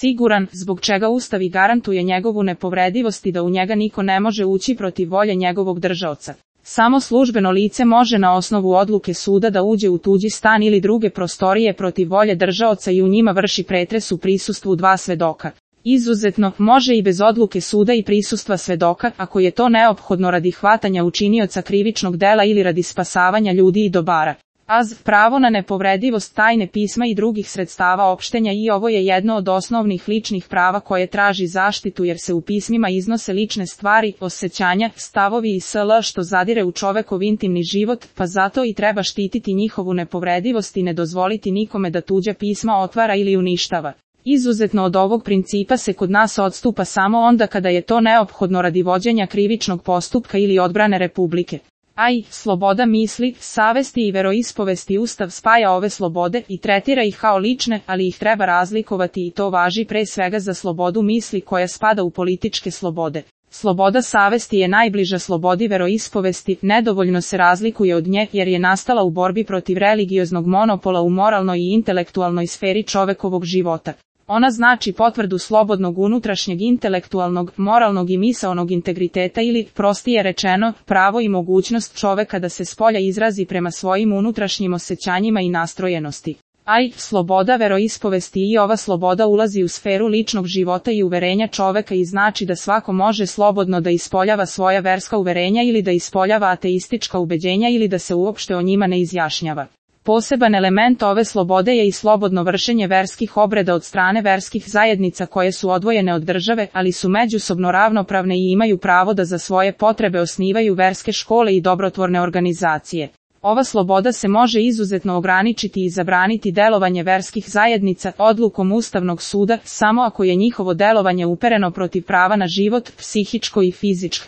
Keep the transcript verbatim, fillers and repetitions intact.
siguran, zbog čega Ustav i garantuje njegovu nepovredivost i da u njega niko ne može ući protiv volje njegovog držaoca. Samo službeno lice može na osnovu odluke suda da uđe u tuđi stan ili druge prostorije protiv volje držaoca i u njima vrši pretres u prisustvu dva svedoka. Izuzetno, može i bez odluke suda i prisustva svedoka, ako je to neophodno radi hvatanja učinioca krivičnog dela ili radi spasavanja ljudi i dobara. Az, pravo na nepovredivost tajne pisma i drugih sredstava opštenja i ovo je jedno od osnovnih ličnih prava koje traži zaštitu jer se u pismima iznose lične stvari, osjećanja, stavovi i sl. Što zadire u čovekov intimni život, pa zato i treba štititi njihovu nepovredivost i ne dozvoliti nikome da tuđa pisma otvara ili uništava. Izuzetno od ovog principa se kod nas odstupa samo onda kada je to neophodno radi vođenja krivičnog postupka ili odbrane Republike. Aj, sloboda misli, savesti i veroispovesti Ustav spaja ove slobode i tretira ih kao lične, ali ih treba razlikovati i to važi pre svega za slobodu misli koja spada u političke slobode. Sloboda savesti je najbliža slobodi veroispovesti, nedovoljno se razlikuje od nje jer je nastala u borbi protiv religioznog monopola u moralnoj i intelektualnoj sferi čovekovog života. Ona znači potvrdu slobodnog unutrašnjeg intelektualnog, moralnog i misaonog integriteta ili, prostije rečeno, pravo i mogućnost čoveka da se spolja izrazi prema svojim unutrašnjim osjećanjima i nastrojenosti. Aj, sloboda veroispovesti i ova sloboda ulazi u sferu ličnog života i uverenja čoveka i znači da svako može slobodno da ispoljava svoja verska uverenja ili da ispoljava ateistička ubeđenja ili da se uopšte o njima ne izjašnjava. Poseban element ove slobode je i slobodno vršenje verskih obreda od strane verskih zajednica koje su odvojene od države, ali su međusobno ravnopravne i imaju pravo da za svoje potrebe osnivaju verske škole i dobrotvorne organizacije. Ova sloboda se može izuzetno ograničiti i zabraniti delovanje verskih zajednica odlukom Ustavnog suda samo ako je njihovo delovanje upereno protiv prava na život, psihičko i fizičko.